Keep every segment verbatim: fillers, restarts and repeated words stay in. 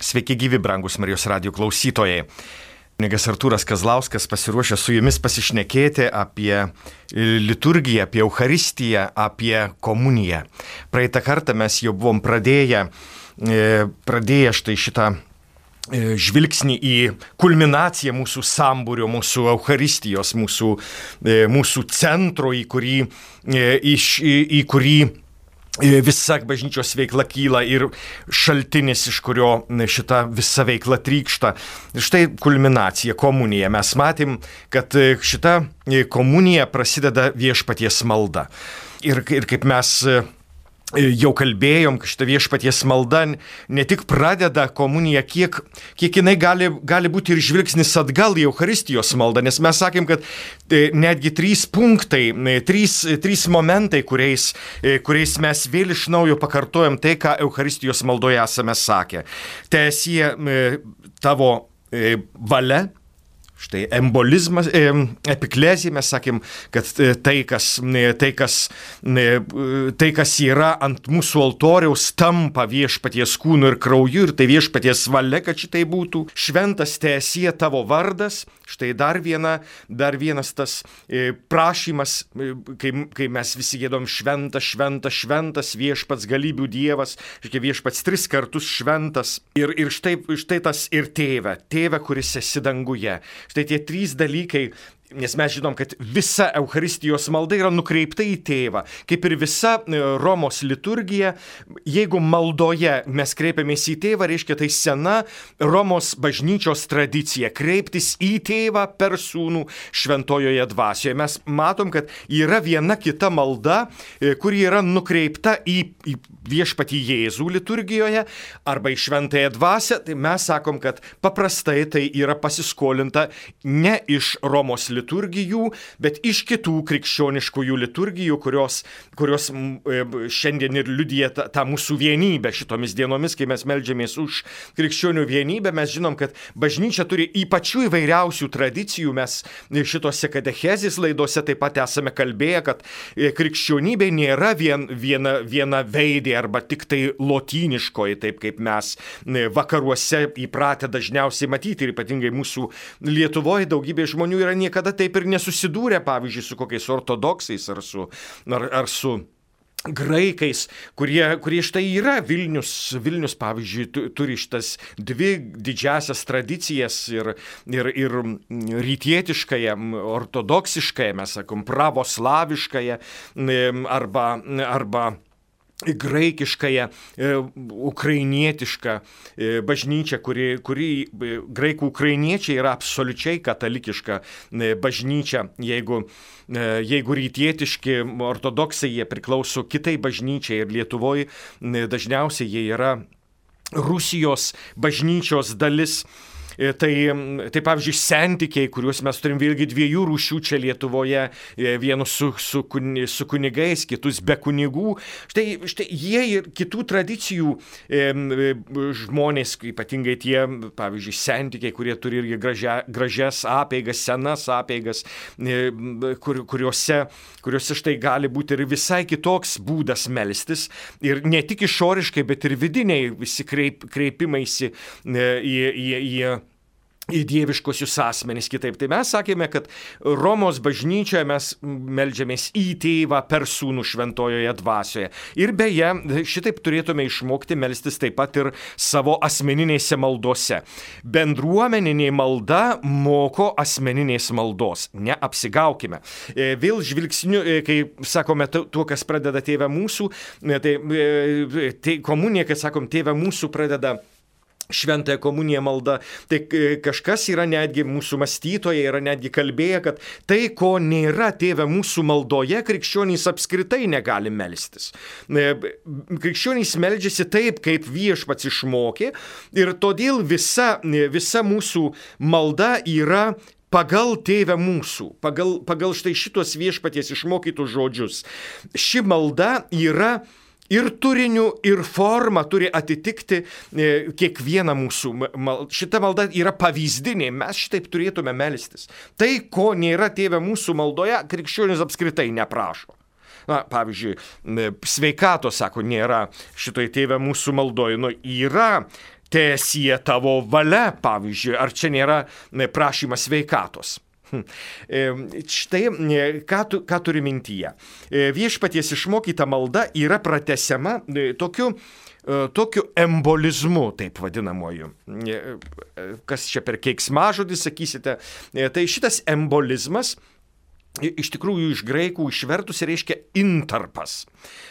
Sveiki gyvi, brangus Marijos radijo klausytojai. Kunigas Artūras Kazlauskas pasiruošė su jumis pasišnekėti apie liturgiją, apie Eucharistiją, apie komuniją. Praeitą kartą mes jau buvom pradėję, pradėję štai šitą žvilgsnį į kulminaciją mūsų sambūrio, mūsų Eucharistijos, mūsų, mūsų centro, į kurį, į, į, į kurį visa bažnyčios veikla kyla ir šaltinis, iš kurio šita visa veikla trykšta. Ir štai kulminacija, komunija. Mes matėm, kad šita komunija prasideda viešpaties malda. Ir, ir kaip mes jau kalbėjom, kad šita viešpaties malda ne tik pradeda komuniją, kiek, kiek jinai gali, gali būti ir žvilgsnis atgal į Eucharistijos maldą, nes mes sakėm, kad netgi trys punktai, trys, trys momentai, kuriais, kuriais mes vėl iš naujo pakartojam tai, ką Eucharistijos maldoje esame sakę. Teesie tavo valia. Štai embolizmas, epiklezija, mes sakėm, kad tai kas, tai, kas, tai, kas yra ant mūsų altoriaus, tampa viešpaties kūnu ir krauju, ir tai viešpaties valia, kad šitai būtų. Šventas teesie tavo vardas. Štai dar, viena, dar vienas tas prašymas, kai, kai mes visi giedom šventas, šventas, šventas, viešpats galybių dievas, viešpats tris kartus šventas. Ir, ir štai, štai tas ir tėve, tėve, kuris esi danguje. Štai tie trys dalykai, nes mes žinom, kad visa Eucharistijos malda yra nukreipta į tėvą. Kaip ir visa Romos liturgija, jeigu maldoje mes kreipiamės į tėvą, reiškia tai sena Romos bažnyčios tradicija kreiptis į tėvą per sūnų šventojoje dvasioje. Mes matom, kad yra viena kita malda, kuri yra nukreipta į, į viešpatį Jėzų liturgijoje arba į šventąją dvasią. Tai mes sakom, kad paprastai tai yra pasiskolinta ne iš Romos liturgijos, liturgijų, bet iš kitų krikščioniškųjų liturgijų, kurios, kurios šiandien ir liudija tą, tą mūsų vienybę šitomis dienomis, kai mes meldžiamės už krikščionių vienybę. Mes žinom, kad bažnyčia turi ypačių įvairiausių tradicijų. Mes šitose katechezės laidose taip pat esame kalbėję, kad krikščionybė nėra vien, viena, viena veidė arba tik tai lotyniškoji, taip kaip mes vakaruose įpratę dažniausiai matyti, ir ypatingai mūsų Lietuvoje daugybė žmonių yra niekada taip ir nesusidūrė, pavyzdžiui, su kokiais ortodoksais ar su, ar, ar su graikais, kurie, kurie štai yra Vilnius. Vilnius, pavyzdžiui, turi šitas dvi didžiasias tradicijas ir, ir, ir rytietiškąją, ortodoksiškąją, mes sakom, pravoslaviškąją arba, arba graikiškąją, ukrainietišką bažnyčią, kuri, kuri graikų ukrainiečiai yra absoliučiai katalikiška bažnyčia. Jeigu, jeigu rytietiški ortodoksai, jie priklauso kitai bažnyčiai, ir Lietuvoje dažniausiai jie yra Rusijos bažnyčios dalis. Tai, tai pavyzdžiui, sentikiai, kuriuos mes turim vėlgi dviejų rūšių čia Lietuvoje, vienus su, su, su kunigais, kitus be kunigų. Štai, štai jie ir kitų tradicijų e, žmonės, ypatingai tie, pavyzdžiui, sentikiai, kurie turi irgi gražia, gražias apeigas, senas apeigas, e, kur, kuriuose, kuriuose štai gali būti ir visai kitoks būdas melstis. Ir ne tik išoriškai, bet ir vidiniai visi kreip, kreipimaisi e, į, į, į į dieviškosius asmenys kitaip. Tai mes sakėme, kad Romos bažnyčioje mes meldžiamės į tėvą per sūnų šventojoje dvasioje. Ir beje, šitaip turėtume išmokti melstis taip pat ir savo asmeninėse maldose. Bendruomeninė malda moko asmeninės maldos. Neapsigaukime. Vėl žvilgsniu, kai sakome tuo, kas pradeda tėvę mūsų, tai, tai komunija, kai sakom tėvę mūsų, pradeda šventąją komuniją malda, tai kažkas yra netgi mūsų mąstytojai, yra netgi kalbėję, kad tai, ko nėra tėve mūsų maldoje, krikščionys apskritai negali melstis. Krikščionys meldžiasi taip, kaip viešpats išmokė, ir todėl visa, visa mūsų malda yra pagal tėvę mūsų, pagal, pagal štai šitos viešpaties išmokytus žodžius. Ši malda yra ir turiniu, ir forma turi atitikti e, kiekvieną mūsų. Mal, šita malda yra pavyzdinė, mes šitaip turėtume melstis. Tai, ko nėra tėve mūsų maldoje, krikščionis apskritai neprašo. Na, pavyzdžiui, sveikato, sako, nėra šitoj tėve mūsų maldoje. Nu, yra teesie tavo valia, pavyzdžiui, ar čia nėra prašymas sveikatos. Štai, ką, tu, ką turi mintyje. Viešpaties išmokyta malda yra pratęsiama tokiu, tokiu embolizmu, taip vadinamoju. Kas čia per keiksmažodį, sakysite, tai šitas embolizmas iš tikrųjų iš graikų išvertus reiškia intarpas.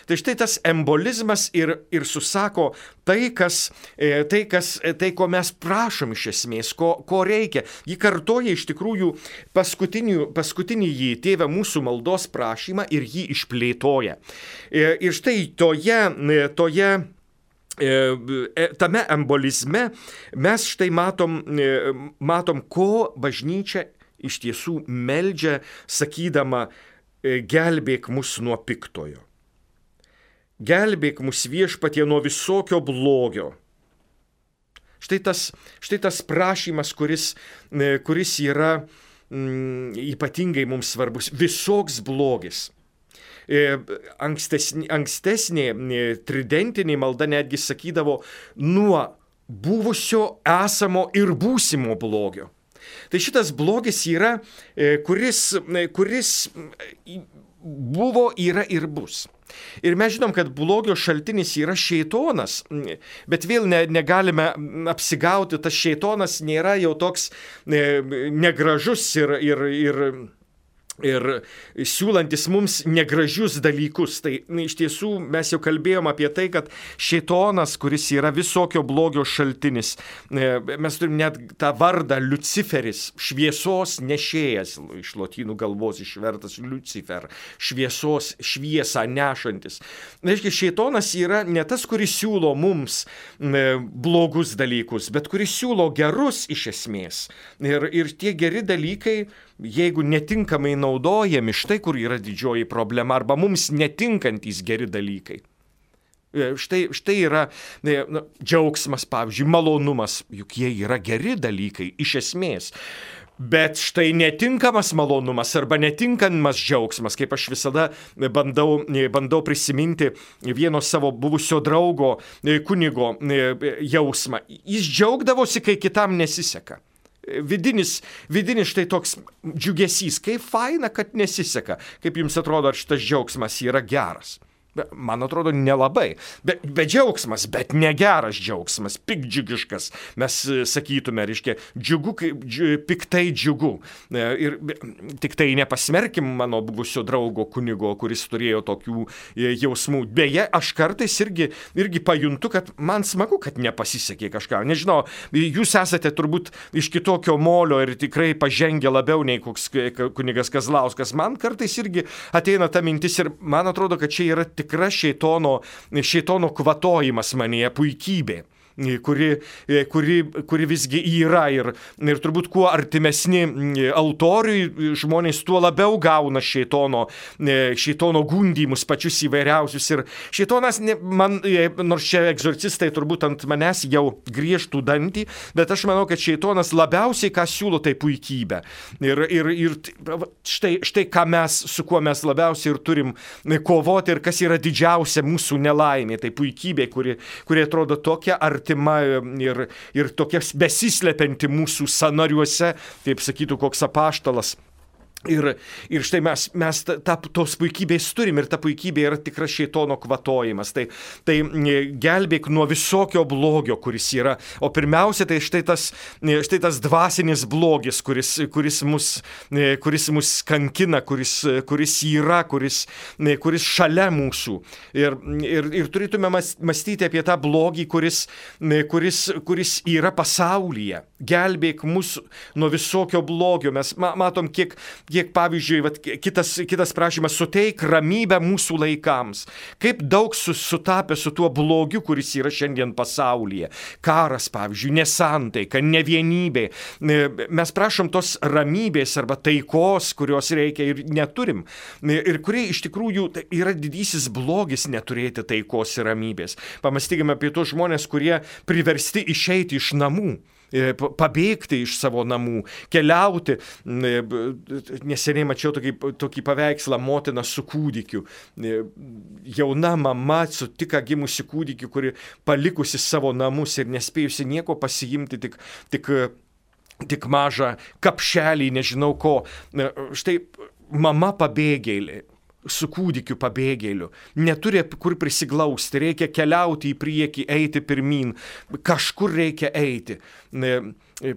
Tai štai tas embolizmas ir, ir susako tai, kas, tai, kas, tai, ko mes prašom iš esmės, ko, ko reikia. Ji kartoja iš tikrųjų paskutinį, paskutinį jį tėvę mūsų maldos prašymą ir jį išplėtoja. Ir štai toje, toje tame embolizme mes štai matom, matom ko bažnyčia iš tiesų meldžia, sakydama, gelbėk mus nuo piktojo. Gelbėk mus viešpatie nuo visokio blogio. Štai tas, štai tas prašymas, kuris, kuris yra mm, ypatingai mums svarbus. Visoks blogis. Ankstesnė, ankstesnė tridentinė malda netgi sakydavo nuo buvusio, esamo ir būsimo blogio. Tai šitas blogis yra, kuris, kuris buvo, yra ir bus. Ir mes žinom, kad blogio šaltinis yra šėtonas, bet vėl ne, negalime apsigauti, tas šėtonas nėra jau toks negražus ir, ir, ir, ir siūlantis mums negražius dalykus. Tai iš tiesų mes jau kalbėjom apie tai, kad šėtonas, kuris yra visokio blogio šaltinis, mes turim net tą vardą Liuciferis, šviesos nešėjas, iš lotynų kalbos išvertas Lucifer, šviesos šviesą nešantis. Reiškia, šėtonas yra ne tas, kuris siūlo mums blogus dalykus, bet kuris siūlo gerus iš esmės. Ir, ir tie geri dalykai, jeigu netinkamai naudojami, štai kur yra didžioji problema, arba mums netinkantys geri dalykai. Štai, štai yra na, džiaugsmas, pavyzdžiui, malonumas, juk jie yra geri dalykai iš esmės. Bet štai netinkamas malonumas arba netinkamas džiaugsmas, kaip aš visada bandau, bandau prisiminti vieno savo buvusio draugo kunigo jausmą. Jis džiaugdavosi, kai kitam nesiseka. Vidinis, vidinis štai toks džiugesys, kaip faina, kad nesiseka. Kaip jums atrodo, ar šitas džiaugsmas yra geras? Man atrodo, nelabai. Bet be džiaugsmas, bet negeras džiaugsmas, pikdžiugiškas. Mes sakytume, reiškia, džiugu, kaip dži, piktai džiugu. Ir tik tai nepasmerkim mano buvusio draugo kunigo, kuris turėjo tokių jausmų. Beje, aš kartais irgi, irgi pajuntu, kad man smagu, kad nepasisekė kažką. Nežinau, jūs esate turbūt iš kitokio molio ir tikrai pažengę labiau nei koks kunigas Kazlauskas. Man kartais irgi ateina ta mintis ir man atrodo, kad čia yra tikra šėtono, šėtono kvatojimas manyje, puikybė. Kuri, kuri, kuri visgi yra ir, ir turbūt kuo artimesni altoriui žmonės, tuo labiau gauna šėtono, šėtono gundymus pačius įvairiausius. Ir šėtonas, man, nors čia egzorcistai turbūt ant manęs jau griežtų dantį, bet aš manau, kad šėtonas labiausiai ką siūlo, tai puikybę. Ir, ir, ir štai, štai ką mes, su kuo mes labiausiai ir turim kovoti ir kas yra didžiausia mūsų nelaimė, tai puikybė, kuri, kuri atrodo tokia artima ir, ir tokia besislepianti mūsų sąnariuose, kaip sakytų koks apaštalas. Ir, ir štai mes, mes ta, tos puikybės turim ir ta puikybė yra tikras šėtono kvatojimas. Tai, tai gelbėk nuo visokio blogio, kuris yra. O pirmiausia, tai štai tas, štai tas dvasinis blogis, kuris, kuris, mus, kuris mus kankina, kuris, kuris yra, kuris, kuris šalia mūsų. Ir, ir, ir turėtume mąstyti apie tą blogį, kuris, kuris, kuris yra pasaulyje. Gelbėk mus nuo visokio blogio. Mes matom, kiek Kiek, pavyzdžiui, vat, kitas, kitas prašymas, suteik ramybę mūsų laikams. Kaip daug sutapė su tuo blogiu, kuris yra šiandien pasaulyje. Karas, pavyzdžiui, nesantaika, nevienybė. Mes prašom tos ramybės arba taikos, kurios reikia ir neturim. Ir kurie iš tikrųjų yra didysis blogis neturėti taikos ir ramybės. Pamastykime apie tos žmonės, kurie priversti išeiti iš namų. pabėgti iš savo namų, keliauti. Neseniai mačiau tokį, tokį paveikslą motina su kūdikiu. Jauna mama su tik gimusi kūdikiu, kuri palikusi savo namus ir nespėjusi nieko pasiimti, tik, tik, tik mažą kapšelį, nežinau ko. Štai mama pabėgėlė. Su kūdikiu pabėgėliu, neturi kur prisiglausti, reikia keliauti į priekį, eiti pirmin, kažkur reikia eiti.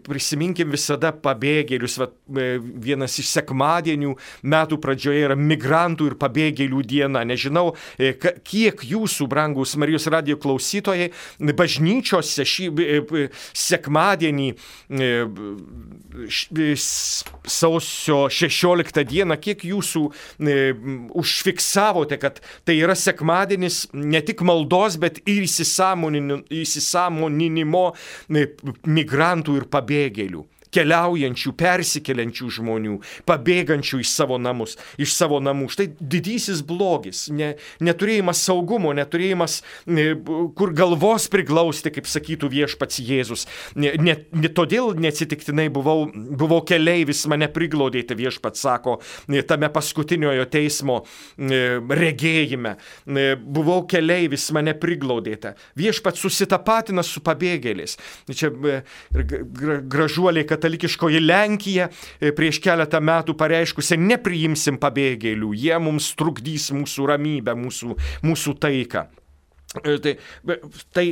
Prisiminkim visada pabėgėlius, va, vienas iš sekmadienių metų pradžioje yra migrantų ir pabėgėlių diena. Nežinau, kiek jūsų, brangus Marijos radijo klausytojai, bažnyčiose šį sekmadienį sausio šešioliktą dieną, kiek jūsų užfiksavote, kad tai yra sekmadienis ne tik maldos, bet ir įsisąmoninimo migrantų ir pabėgėlių, keliaujančių, persikeliančių žmonių, pabėgančių iš savo namus, iš savo namų. Štai didysis blogis, ne, neturėjimas saugumo, neturėjimas ne, kur galvos priglausti, kaip sakytų viešpats Jėzus. Ne, ne, ne todėl neatsitiktinai buvau, buvau keleivis, mane priglaudėte, viešpats sako, tame paskutiniojo teismo regėjime. Buvau keleivis, mane priglaudėte. Viešpats susitapatina su pabėgėliais. Čia gražuoliai, kad katalikiškoji Lenkija prieš keletą metų pareiškusi, nepriimsim pabėgėlių, jie mums trukdys mūsų ramybę, mūsų, mūsų taiką. Tai, tai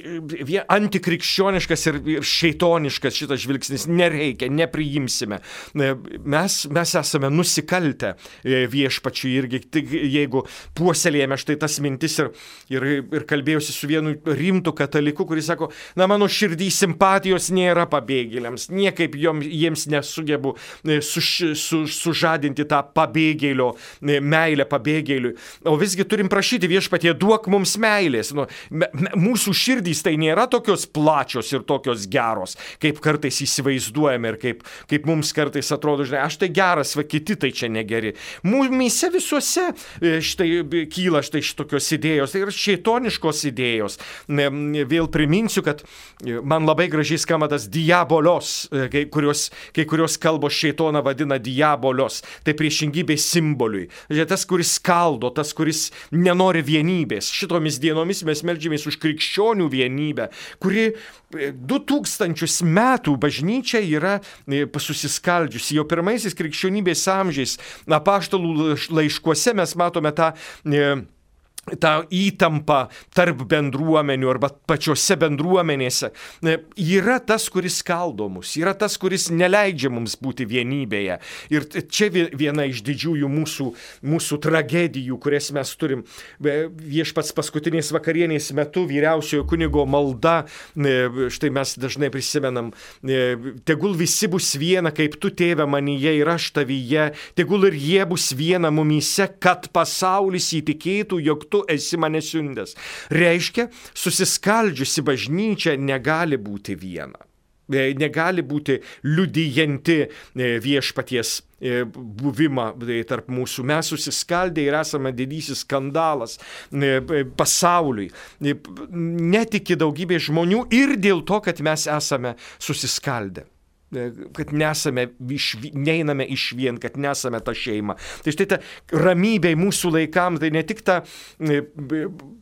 antikrikščioniškas ir, ir šeitoniškas šitas žvilgsnis, nereikia, nepriimsime. Mes, mes esame nusikaltę viešpačiui irgi, jeigu puoselėjame štai tas mintis ir, ir, ir kalbėjausi su vienu rimtu kataliku, kuris sako, na mano širdį simpatijos nėra pabėgėliams, niekaip jom, jiems nesugebu suž, su, sužadinti tą pabėgėlio meilę pabėgėliui. O visgi turim prašyti viešpatie, duok mums meilės. Nu, mūsų širdys tai nėra tokios plačios ir tokios geros, kaip kartais įsivaizduojame ir kaip, kaip mums kartais atrodo, žinai, aš tai geras, va kiti tai čia negeri. Mūmise visuose štai kyla štai šitokios idėjos, tai yra šeitoniškos idėjos. Vėl priminsiu, kad man labai gražiai skamba tas diabolios, kai kurios, kai kurios kalbos šeitoną vadina diabolios, tai priešingybė simboliui. Tas, kuris skaldo, tas, kuris nenori vienybės. Šitomis dienomis mes meldžiamės už krikščionių vienybę, kuri du tūkstančius metų bažnyčia yra susiskaldžiusi. Jau pirmaisiais krikščionybės amžiais apaštalų laiškuose mes matome tą tą įtampą tarp bendruomenių arba pačiose bendruomenėse. Yra tas, kuris skaldo mus, yra tas, kuris neleidžia mums būti vienybėje. Ir čia viena iš didžiųjų mūsų, mūsų tragedijų, kurias mes turim. Viešpats paskutinės vakarienės metu, vyriausiojo kunigo malda, štai mes dažnai prisimenam, tegul visi bus viena, kaip tu, tėve, manyje ir aš tavyje, tegul ir jie bus viena mumyse, kad pasaulis įtikėtų, jog tu esi mane siuntęs. Reiškia, susiskaldžiusi bažnyčia negali būti viena. Negali būti liudijanti viešpaties buvimą tarp mūsų. Mes susiskaldę ir esame didysis skandalas pasauliui. Netiki daugybė žmonių ir dėl to, kad mes esame susiskaldę. Kad nesame, neiname iš vien, kad nesame ta šeima. Tai štai ta ramybė mūsų laikams, tai ne tik ta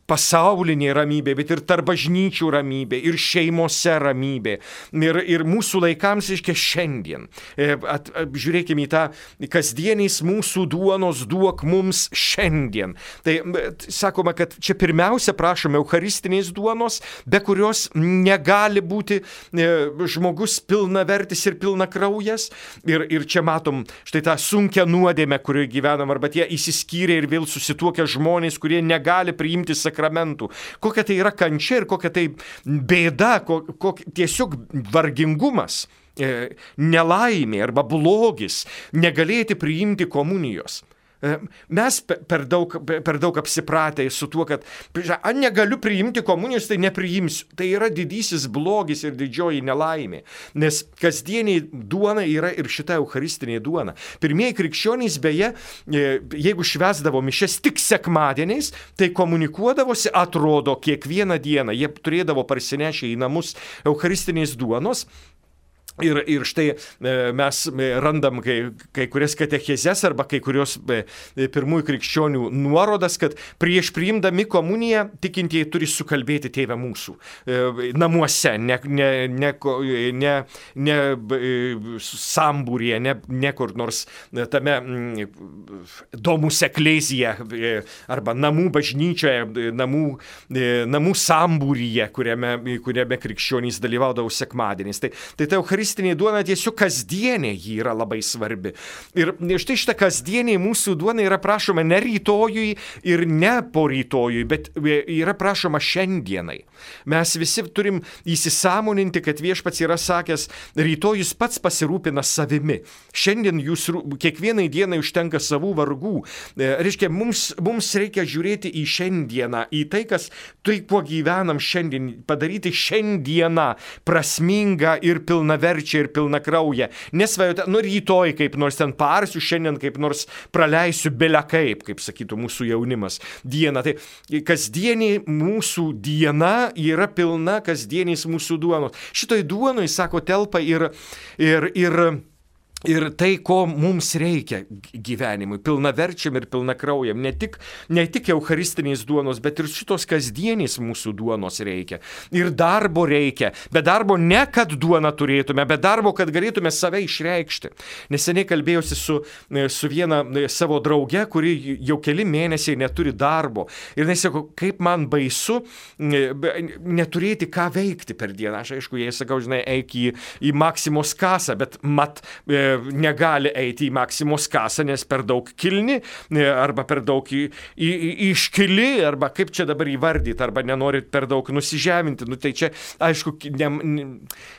pasaulinė ramybė, bet ir tarp bažnyčių ramybė, ir šeimose ramybė. Ir, ir mūsų laikams, reiškia, šiandien. At, žiūrėkime į tą kasdieniais mūsų duonos duok mums šiandien. Tai sakoma, kad čia pirmiausia prašome eucharistinės duonos, be kurios negali būti žmogus pilnavertis ir pilna kraujas. Ir, ir čia matom štai tą sunkią nuodėmę, kurioje gyvenam, arba tie įsiskyrę ir vėl susituokę žmonės, kurie negali priimti sakramentų. Kokia tai yra kančia ir kokia tai bėda, kok, kok, tiesiog vargingumas, nelaimė arba blogis, negalėti priimti komunijos. Mes per daug, per daug apsipratę su tuo, kad a, negaliu priimti komunijos, tai nepriimsiu. Tai yra didysis blogis ir didžioji nelaimė. Nes kasdieniai duona yra ir šita eucharistinė duona. Pirmieji krikščionys, beje, jeigu švęsdavo mišias tik sekmadieniais, tai komunikuodavosi, atrodo, kiekvieną dieną. Jie turėdavo parsinešę į namus eucharistinės duonos. Ir, ir štai mes randam kai, kai kurias katechezes arba kai kurios pirmųjų krikščionių nuorodas, kad prieš priimdami komuniją tikintieji turi sukalbėti Tėve mūsų namuose, ne, ne, ne, ne, ne sambūryje, ne, ne kur nors tame domus eklezija arba namų bažnyčioje, namų, namų sambūryje, kuriame, kuriame krikščionys dalyvaudavo sekmadieniais. Tai, tai ta Eucharistija duona tiesiog kasdienė ji yra labai svarbi. Ir štai šitą kasdienį mūsų duona yra prašoma ne rytojui ir ne po rytojui, bet yra prašoma šiandienai. Mes visi turim įsisąmoninti, kad viešpats yra sakęs, rytojus pats pasirūpina savimi. Šiandien jūs kiekvienai dienai užtenka savų vargų. Reiškia, mums, mums reikia žiūrėti į šiandieną, į tai, kas tai, kuo gyvenam šiandien, padaryti šiandieną prasmingą ir pilnaverčią ir pilna krauja. Nesvajoti, nu rytoj kaip nors ten parsiu, šiandien kaip nors praleisiu belia kaip, kaip sakytų mūsų jaunimas, dieną. Tai kasdienį mūsų diena yra pilna kasdieniais mūsų duonos. Šitoj duonoj, sako, telpa ir, ir, ir Ir tai, ko mums reikia gyvenimui, pilnaverčiam ir pilnakraujam, ne tik, ne tik eucharistiniais duonos, bet ir šitos kasdienys mūsų duonos reikia. Ir darbo reikia, bet darbo ne kad duoną turėtume, bet darbo, kad galėtume save išreikšti. Neseniai kalbėjausi su, su viena savo drauge, kuri jau keli mėnesiai neturi darbo. Ir jis sako, kaip man baisu neturėti ką veikti per dieną. Aš aišku, jai sakau, žinai, eik į, į Maksimos kasą, bet mat negali eiti į Maksimos kasą, nes per daug kilni, arba per daug į, į, iškili, arba kaip čia dabar įvardyti, arba nenorit per daug nusižeminti. Nu, tai čia, aišku, ne, ne,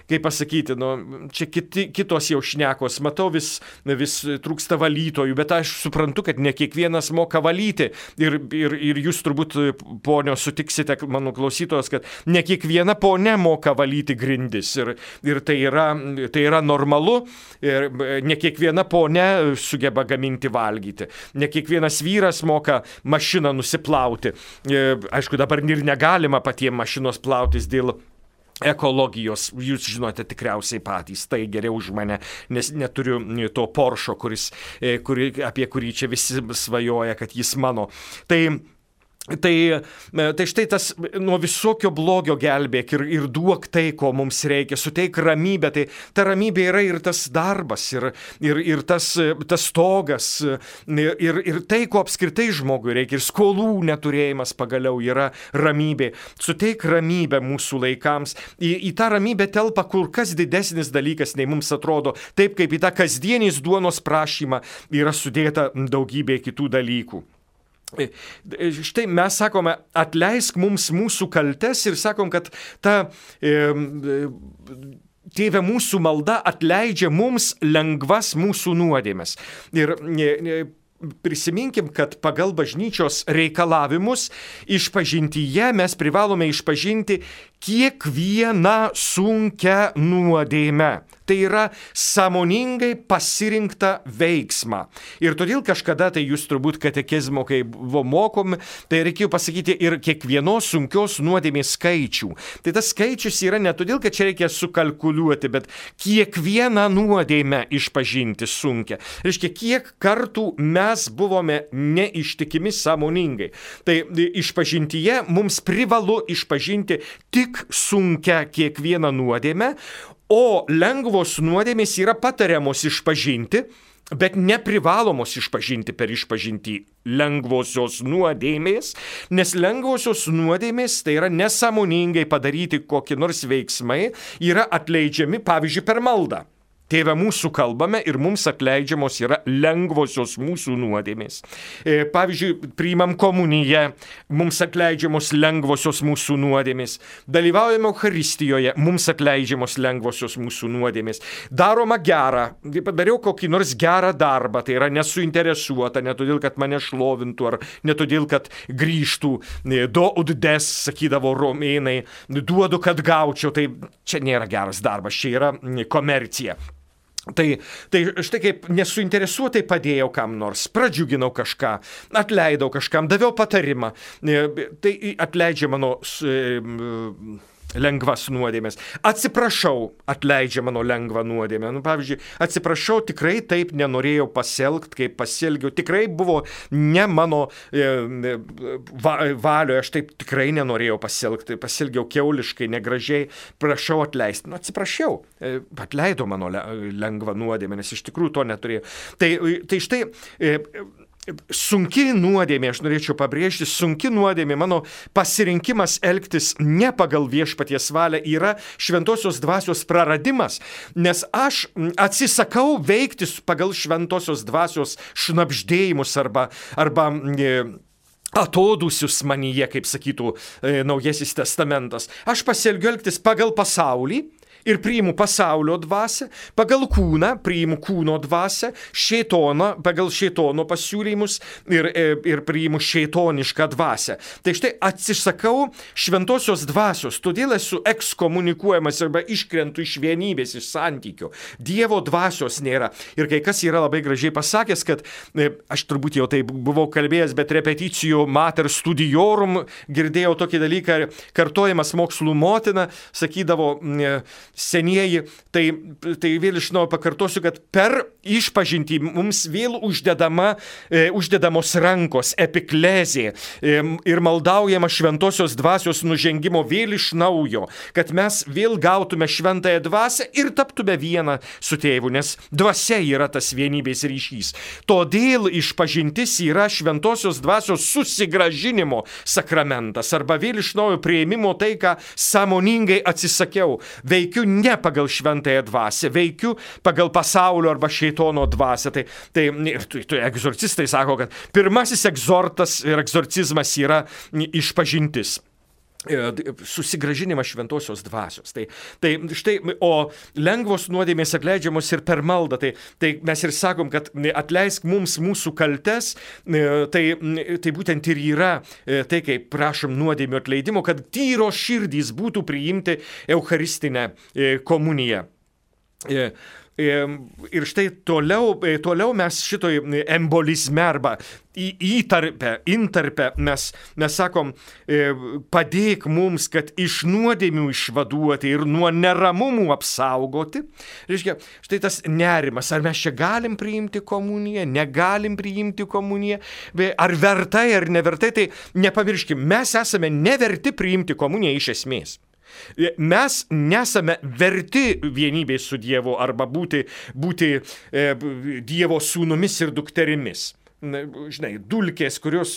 kaip pasakyti, nu, čia kiti, kitos jau šnekos. Matau, vis, vis trūksta valytojų, bet aš suprantu, kad ne kiekvienas moka valyti. Ir, ir, ir jūs turbūt, ponio, sutiksite, mano klausytojos, kad ne kiekviena ponė moka valyti grindis. Ir, ir tai, yra, tai yra normalu. Ir ne kiekviena ponia sugeba gaminti valgyti. Ne kiekvienas vyras moka mašiną nusiplauti. Aišku, dabar ir negalima patiems mašinos plautis dėl ekologijos. Jūs žinote tikriausiai patys, tai geriau už mane, nes neturiu to Porsche, kuris, kuri, apie kurį čia visi svajoja, kad jis mano. Tai Tai, tai štai tas nuo visokio blogio gelbėk ir, ir duok tai, ko mums reikia, suteik ramybę. Tai ta ramybė yra ir tas darbas, ir, ir, ir tas, tas stogas, ir, ir tai, ko apskritai žmogui reikia, ir skolų neturėjimas pagaliau yra ramybė. Suteik ramybę mūsų laikams. Į, į tą ramybę telpa kur kas didesnis dalykas, nei mums atrodo, taip kaip į tą kasdienės duonos prašymą yra sudėta daugybė kitų dalykų. Štai mes sakome, atleisk mums mūsų kaltes ir sakom, kad ta e, Tėve mūsų malda atleidžia mums lengvas mūsų nuodėmes. Ir e, prisiminkim, kad pagal bažnyčios reikalavimus išpažintyje mes privalome išpažinti kiekvieną sunkią nuodėmę. Tai yra sąmoningai pasirinktą veiksmą. Ir todėl kažkada, tai jūs turbūt katekizmo, kai buvo mokomi, tai reikėjo pasakyti ir kiekvienos sunkios nuodėmės skaičių. Tai tas skaičius yra ne todėl, kad čia reikia sukalkuliuoti, bet kiekvieną nuodėmę išpažinti sunkia. Reiškia, kiek kartų mes buvome neištikimi sąmoningai. Tai išpažintyje mums privalu išpažinti tik sunkia kiekvieną nuodėmę, o lengvos nuodėmės yra patariamos išpažinti, bet neprivalomos išpažinti per išpažintį lengvosios nuodėmės, nes lengvosios nuodėmės, tai yra nesąmoningai padaryti kokie nors veiksmai, yra atleidžiami, pavyzdžiui, per maldą. Tėve mūsų kalbame ir mums atleidžiamos yra lengvosios mūsų nuodėmės. Pavyzdžiui, priimam komuniją, mums atleidžiamos lengvosios mūsų nuodėmės. Dalyvaujame Eucharistijoje, mums atleidžiamos lengvosios mūsų nuodėmės. Daroma gera, padariau kokį nors gerą darbą, tai yra nesuinteresuota, ne todėl, kad mane šlovintų, ar ne todėl, kad grįžtų, do ud des, sakydavo romėnai, duodu, kad gaučiau, tai čia nėra geras darbas, čia yra komercija. Tai, tai štai kaip nesuinteresuotai padėjau kam nors, pradžiuginau kažką, atleidau kažkam, daviau patarimą, tai atleidžia mano lengvas nuodėmės. Atsiprašau, atleidžia mano lengvą nuodėmę. Nu, pavyzdžiui, atsiprašau, tikrai taip nenorėjau pasielgti, kaip pasielgiau. Tikrai buvo ne mano e, va, valioje, aš taip tikrai nenorėjau pasielgti. Pasielgiau kiauliškai, negražiai. Prašau atleisti. Nu, atsiprašiau, e, atleido mano lengvą nuodėmę, nes iš tikrųjų to neturėjau. Tai, tai štai... E, Sunki nuodėmė, aš norėčiau pabrėžti, sunki nuodėmė, mano pasirinkimas elgtis ne pagal viešpaties valią yra šventosios dvasios praradimas, nes aš atsisakau veikti pagal šventosios dvasios šnabždėjimus arba, arba e, atodūsius manyje, kaip sakytų e, Naujasis testamentas. Aš pasielgiu elgtis pagal pasaulį, ir priimu pasaulio dvasią, pagal kūną priimu kūno dvasią, šėtoną, pagal šėtono pasiūlymus ir, ir priimu šėtonišką dvasią. Tai štai atsisakau šventosios dvasios, todėl esu ekskomunikuojamas arba iškrentu iš vienybės, iš santykių. Dievo dvasios nėra. Ir kai kas yra labai gražiai pasakęs, kad aš turbūt jau tai buvau kalbėjęs, bet repeticijų mater studiorum girdėjau tokį dalyką, kartojamas mokslų motina, sakydavo senieji, tai, tai vėl iš naujo pakartosiu, kad per išpažintį mums vėl uždedama, e, uždedamos rankos, epiklezė e, ir maldaujama šventosios dvasios nužengimo vėl iš naujo, kad mes vėl gautume šventąją dvasią ir taptume vieną su tėvu, nes dvasia yra tas vienybės ryšys. Todėl išpažintis yra šventosios dvasios susigrąžinimo sakramentas arba vėl iš naujo priėmimo tai, ką sąmoningai atsisakiau. Veikiu ne pagal šventąją dvasią, veikiu pagal pasaulio arba šėtono dvasią. Tai, tai, tai, tai egzorcistai sako, kad pirmasis egzortas ir egzorcizmas yra išpažintis. Susigrąžinimas šventosios dvasios. Tai, tai štai, o lengvos nuodėmės atleidžiamos ir per maldą. Tai, tai mes ir sakom, kad atleisk mums mūsų kaltes, tai, tai būtent ir yra tai, kai prašom nuodėmių atleidimo, kad tyros širdys būtų priimti eucharistinę komuniją. Ir štai toliau, toliau mes šitoj embolizme arba įtarpę, intarpę mes, mes sakom, padėk mums, kad iš nuodėmių išvaduoti ir nuo neramumų apsaugoti. Reiškia, štai tas nerimas, ar mes čia galim priimti komuniją, negalim priimti komuniją, ar vertai, ar nevertai, tai nepamirškim, mes esame neverti priimti komuniją iš esmės. Mes nesame verti vienybės su Dievu arba būti, būti e, Dievo sūnumis ir dukterimis. Žinai, dulkės, kurios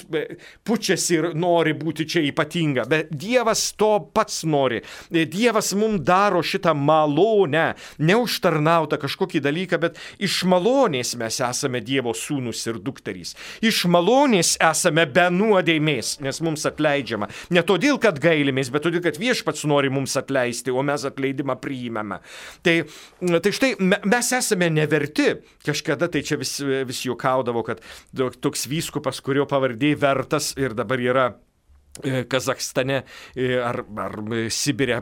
pučiasi ir nori būti čia ypatinga, bet Dievas to pats nori. Dievas mums daro šitą malonę, neužtarnautą kažkokį dalyką, bet iš malonės mes esame Dievo sūnus ir dukterys. Iš malonės esame be nuodėmės, nes mums atleidžiama. Ne todėl, kad gailimės, bet todėl, kad viešpats nori mums atleisti, o mes atleidimą priimame. Tai, tai štai mes esame neverti. Kažkada tai čia vis, vis juokaudavo, kad toks vyskupas, kurio pavardė Vertas ir dabar yra Kazachstane ar, ar Sibire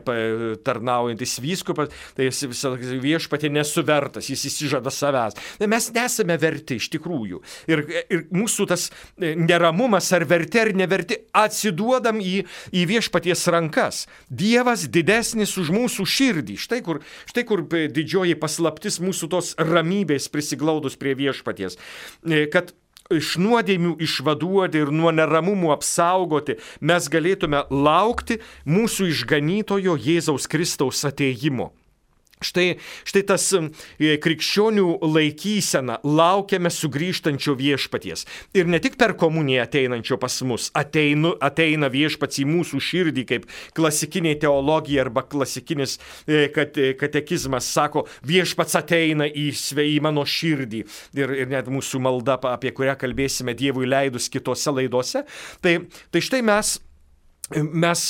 tarnaujantis vyskupas, tai jis viešpatie nesuvertas, jis įsižada savęs. Mes nesame verti iš tikrųjų. Ir, ir mūsų tas neramumas ar verti ar neverti atsiduodam į, į viešpaties rankas. Dievas didesnis už mūsų širdį. Štai kur, štai kur didžioji paslaptis mūsų tos ramybės prisiglaudus prie viešpaties. Kad iš nuodėmių išvaduoti ir nuo neramumų apsaugoti, mes galėtume laukti mūsų išganytojo Jėzaus Kristaus atėjimo. Štai, štai tas krikščionių laikysena, laukiame sugrįžtančio viešpaties. Ir ne tik per komuniją ateinančio pas mus, ateinu, ateina viešpats į mūsų širdį, kaip klasikinė teologija arba klasikinis katekizmas sako, viešpats ateina į, į mano širdį. Ir, ir net mūsų malda, apie kurią kalbėsime Dievui leidus kitose laidose. Tai, tai štai mes Mes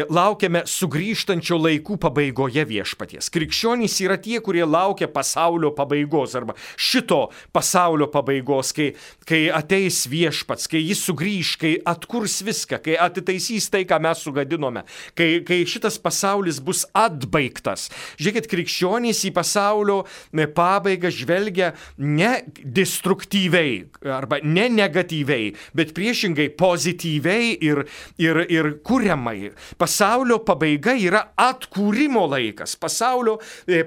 laukiame sugrįžtančio laikų pabaigoje viešpaties. Krikščionys yra tie, kurie laukia pasaulio pabaigos arba šito pasaulio pabaigos, kai, kai ateis viešpats, kai jis sugrįž, kai atkurs viską, kai atitaisys tai, ką mes sugadinome, kai, kai šitas pasaulis bus atbaigtas. Žiūrėkit, krikščionys į pasaulio pabaigą žvelgia ne destruktyviai arba ne negatyviai, bet priešingai pozityviai ir, ir, ir kuriamai. Pasaulio pabaiga yra atkūrimo laikas. Pasaulio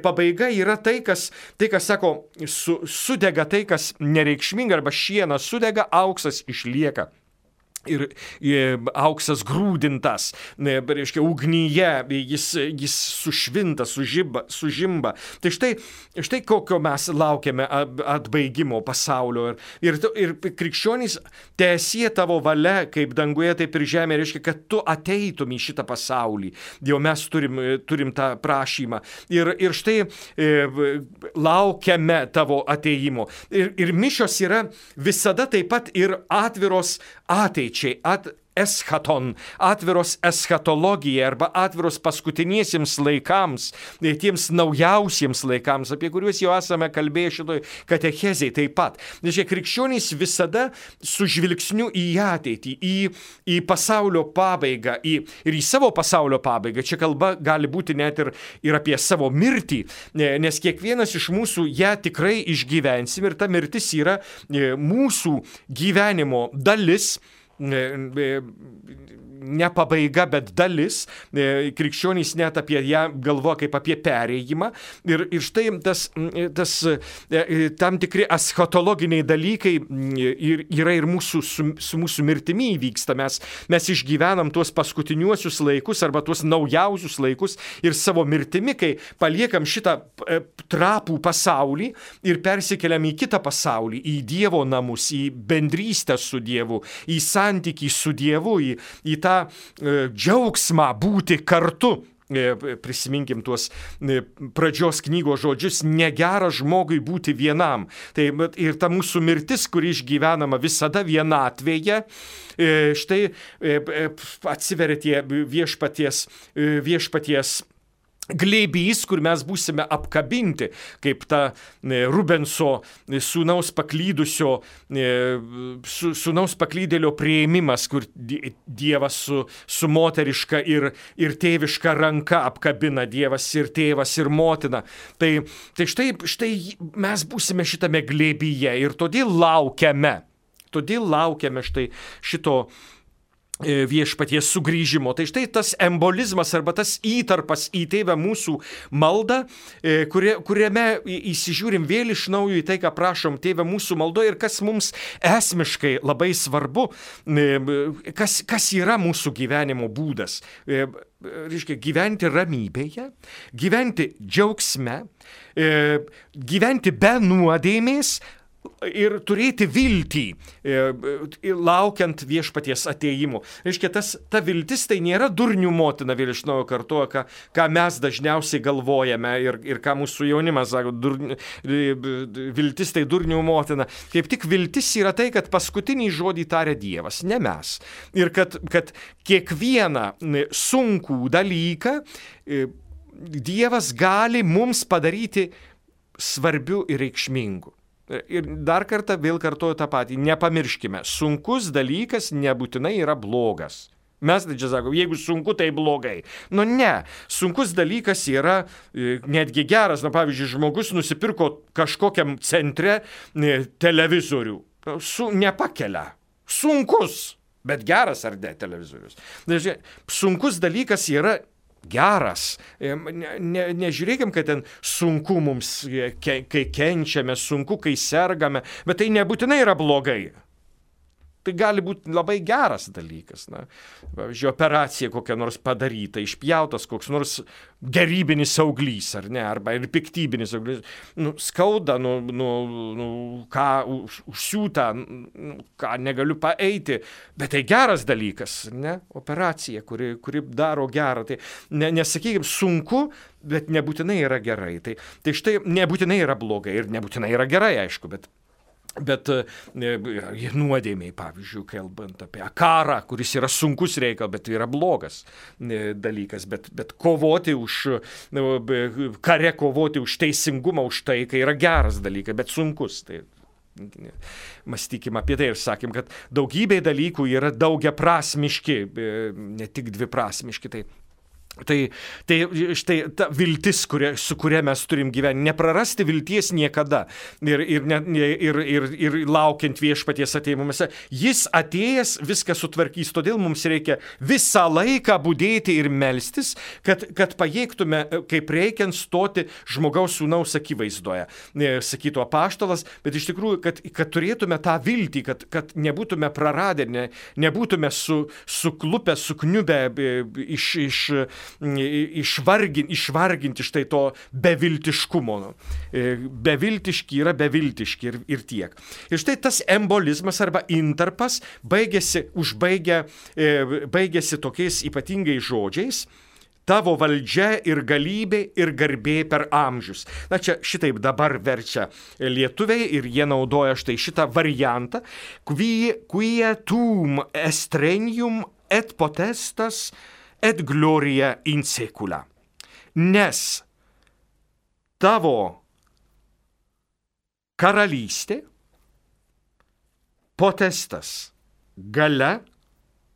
pabaiga yra tai, kas, tai, kas sako, su, sudega tai, kas nereikšminga, arba šienas sudega, auksas išlieka. Ir auksas grūdintas, reiškia, ugnyje, jis, jis sušvinta, sužimba, sužimba. Tai štai, štai kokio mes laukiame atbaigimo pasaulio. Ir, ir, ir krikščionys, teesie tavo valia, kaip danguje, taip ir žemė, reiškia, kad tu ateitum į šitą pasaulį. Jau mes turim, turim tą prašymą. Ir, ir štai e, laukiame tavo ateimo. Ir, ir mišios yra visada taip pat ir atviros ateičiai. At eschaton, atviros eschatologija arba atviros paskutiniesiems laikams, tiems naujausiems laikams, apie kuriuos jau esame kalbėję šitoj katechezėj taip pat. Žiūrėk, krikščionys visada su žvilgsniu į ateitį, į, į pasaulio pabaigą, į, ir į savo pasaulio pabaigą. Čia kalba gali būti net ir, ir apie savo mirtį, nes kiekvienas iš mūsų ją tikrai išgyvensim ir ta mirtis yra mūsų gyvenimo dalis, ne pabaiga, bet dalis. Krikščionys net apie ją galvoja kaip apie perėjimą. Ir, ir štai tas, tas tam tikri eschatologiniai dalykai yra ir mūsų, su, su mūsų mirtimi įvyksta. Mes, mes išgyvenam tuos paskutiniuosius laikus arba tuos naujausius laikus ir savo mirtimi, kai paliekam šitą trapų pasaulį ir persikeliam į kitą pasaulį, į Dievo namus, į bendrystę su Dievu, į santykį su Dievu, į, į tą e, džiaugsmą būti kartu. E, prisiminkim tuos e, pradžios knygos žodžius, negera žmogui būti vienam. Tai ir ta mūsų mirtis, kuri išgyvenama visada vienatvėje, e, štai e, atsiveria tie viešpaties, e, viešpaties glėbys, kur mes būsime apkabinti, kaip ta Rubenso sūnaus paklydusio, sūnaus paklydėlio priėmimas, kur Dievas su, su moteriška ir, ir tėviška ranka apkabina, Dievas ir tėvas ir motina. Tai, tai štai, štai mes būsime šitame glėbyje ir todėl laukiame, todėl laukiame štai šito viešpaties sugrįžimo. Tai štai tas embolizmas arba tas įtarpas į Tėvą mūsų maldą, kurie, kuriame įsižiūrim vėl iš naujo į tai, ką prašom Tėvą mūsų maldoje ir kas mums esmiškai labai svarbu, kas, kas yra mūsų gyvenimo būdas. Reiškia, gyventi ramybėje, gyventi džiaugsme, gyventi be nuodėmės, ir turėti viltį, laukiant viešpaties atėjimo. Reiškia, tas, ta viltis tai nėra durnių motina, vėl iš naujo kartuoja, ką, ką mes dažniausiai galvojame ir, ir ką mūsų jaunimas sako, durni, viltis tai durnių motina. Kaip tik viltis yra tai, kad paskutinį žodį taria Dievas, ne mes. Ir kad, kad kiekvieną sunkų dalyką Dievas gali mums padaryti svarbiu ir reikšmingu. Ir dar kartą vėl kartuoju tą patį. Nepamirškime, sunkus dalykas nebūtinai yra blogas. Mes tai čia sakom, jeigu sunku, tai blogai. Nu ne, sunkus dalykas yra e, netgi geras. Na, pavyzdžiui, žmogus nusipirko kažkokiam centre e, televizorių. Su, nepakelia. Sunkus, bet geras ar ne televizorius. Dažnai, sunkus dalykas yra geras. Ne, ne, nežiūrėkim, kad ten sunku mums, ke, kai kenčiame, sunku, kai sergame, bet tai nebūtinai yra blogai. Tai gali būti labai geras dalykas. Na, pavyzdžiui, operacija kokia nors padaryta, išpjautas koks nors gerybinis auglys, ar ne, arba ir piktybinis auglys. Nu, skauda, nu, nu, nu ką už, užsiūta, nu, ką negaliu paeiti, bet tai geras dalykas, ne, operacija, kuri, kuri daro gerą. Tai ne, nesakykime, sunku, bet nebūtinai yra gerai. Tai, tai štai nebūtinai yra blogai ir nebūtinai yra gerai, aišku, bet Bet nuodėmiai, pavyzdžiui, kalbant apie karą, kuris yra sunkus reikalas, bet yra blogas dalykas, bet, bet kovoti už, kare kovoti už teisingumą, už tai, kai yra geras dalykas, bet sunkus. Tai mąstykim apie tai ir sakym, kad daugybė dalykų yra daugiaprasmiški, ne tik dviprasmiški. Tai Tai, tai štai ta viltis, kuria, su kuria mes turim gyventi, neprarasti vilties niekada ir, ir, ne, ir, ir, ir laukiant viešpaties atėjimuose. Jis atėjęs viską sutvarkys, todėl mums reikia visą laiką budėti ir melstis, kad, kad pajėgtume, kaip reikiant, stoti žmogaus sūnaus akivaizdoje, sakytų apaštalas, bet iš tikrųjų, kad, kad turėtume tą viltį, kad, kad nebūtume praradę, ne, nebūtume su, suklupę, sukniubę iš, iš Išvargin, išvarginti štai to beviltiškumo. Beviltiški yra beviltiški ir, ir tiek. Ir štai tas embolizmas arba intarpas baigėsi, užbaigė, baigėsi tokiais ypatingais žodžiais: tavo valdžia ir galybė ir garbė per amžius. Na čia šitaip dabar verčia lietuviai ir jie naudoja štai šitą variantą: quia tum estrenium et potestas et gloria in secula. Nes tavo karalystė, potestas, galia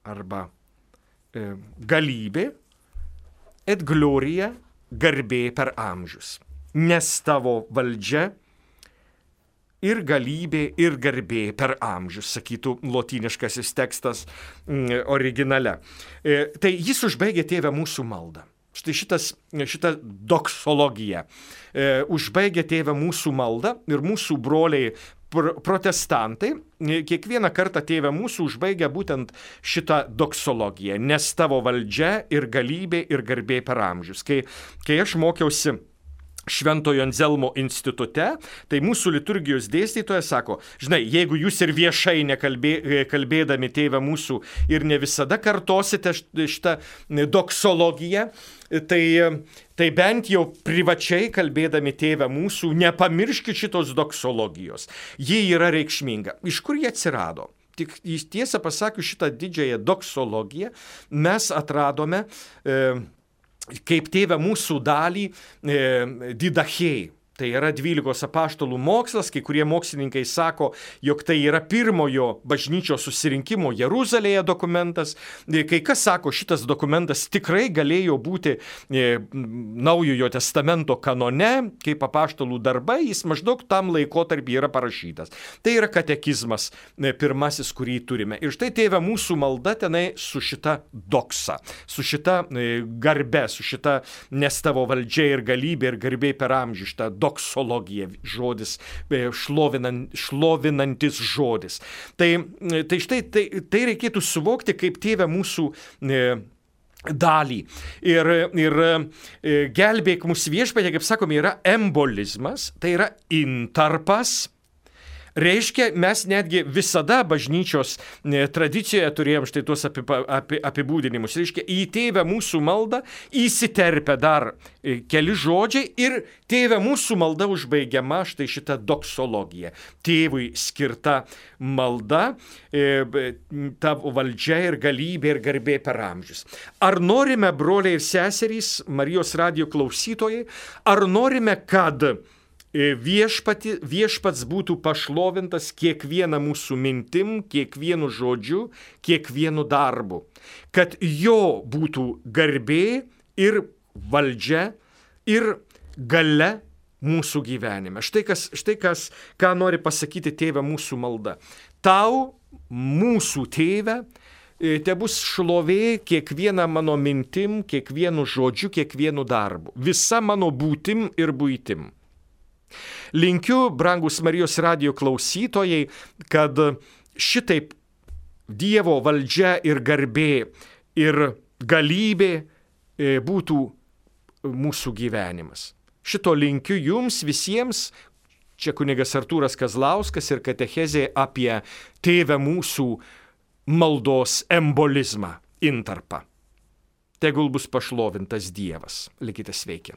arba e, galybė, et gloria, garbė per amžius. Nes tavo valdžia ir galybė ir garbė per amžius, sakytų lotyniškasis tekstas mm, originale. E, tai jis užbaigė Tėve mūsų maldą. Štai šitas, šita doksologija e, užbaigė Tėve mūsų maldą ir mūsų broliai pr- protestantai kiekvieną kartą Tėve mūsų užbaigia būtent šitą doksologiją. Nes tavo valdžia ir galybė ir garbė per amžius. Kai, kai aš mokiausi Šventojo Anzelmo institute, tai mūsų liturgijos dėstytojas sako: žinai, jeigu jūs ir viešai nekalbė, kalbėdami Tėve mūsų ir ne visada kartosite šitą doksologiją, tai, tai bent jau privačiai kalbėdami Tėve mūsų nepamirškit šitos doksologijos. Ji yra reikšminga. Iš kur jie atsirado? Tik tiesą pasakius, šitą didžiąją doksologiją mes atradome e, kaip Tėve mūsų dalį e, didachėjai. Tai yra dvylikos apaštalų mokslas, kai kurie mokslininkai sako, jog tai yra pirmojo bažnyčios susirinkimo Jeruzalėje dokumentas. Kai kas sako, šitas dokumentas tikrai galėjo būti e, Naujojo testamento kanone, kaip apaštalų darbai, jis maždaug tam laikotarpį yra parašytas. Tai yra katekizmas e, pirmasis, kurį turime. Ir štai Tėve mūsų malda tenai su šita doksa, su šita e, garbe, su šita nes tavo valdžia ir galybė ir garbė per amžių, šita doksologija, žodis, šlovinant, šlovinantis žodis. Tai, tai štai tai, tai reikėtų suvokti kaip Tėve mūsų e, dalį. Ir, ir e, gelbėk mus viešpatie, kaip sakome, yra embolizmas, tai yra intarpas. Reiškia, mes netgi visada bažnyčios tradicijoje turėjom štai tuos apibūdinimus. Reiškia, į Tėvę mūsų maldą įsiterpia dar keli žodžiai ir Tėvė mūsų malda užbaigiama štai šitą doksologija. Tėvui skirta malda, tavo valdžia ir galybė ir garbė per amžius. Ar norime, broliai ir seserys, Marijos radijo klausytojai, ar norime, kad Viešpati, viešpats būtų pašlovintas kiekvieną mūsų mintim, kiekvienu žodžiu, kiekvienu darbu, kad jo būtų garbė ir valdžia ir galia mūsų gyvenime. Štai kas, štai kas, ką nori pasakyti Tėve mūsų malda. Tau, mūsų Tėve, te bus šlovė kiekvieną mano mintim, kiekvienu žodžiu, kiekvienu darbu, visa mano būtim ir buitim. Linkiu, brangus Marijos radijo klausytojai, kad šitaip Dievo valdžia ir garbė ir galybė būtų mūsų gyvenimas. Šito linkiu jums visiems. Čia kunigas Artūras Kazlauskas ir katechezė apie Tėvę mūsų maldos embolizmą, intarpą. Tegul bus pašlovintas Dievas. Likite sveiki.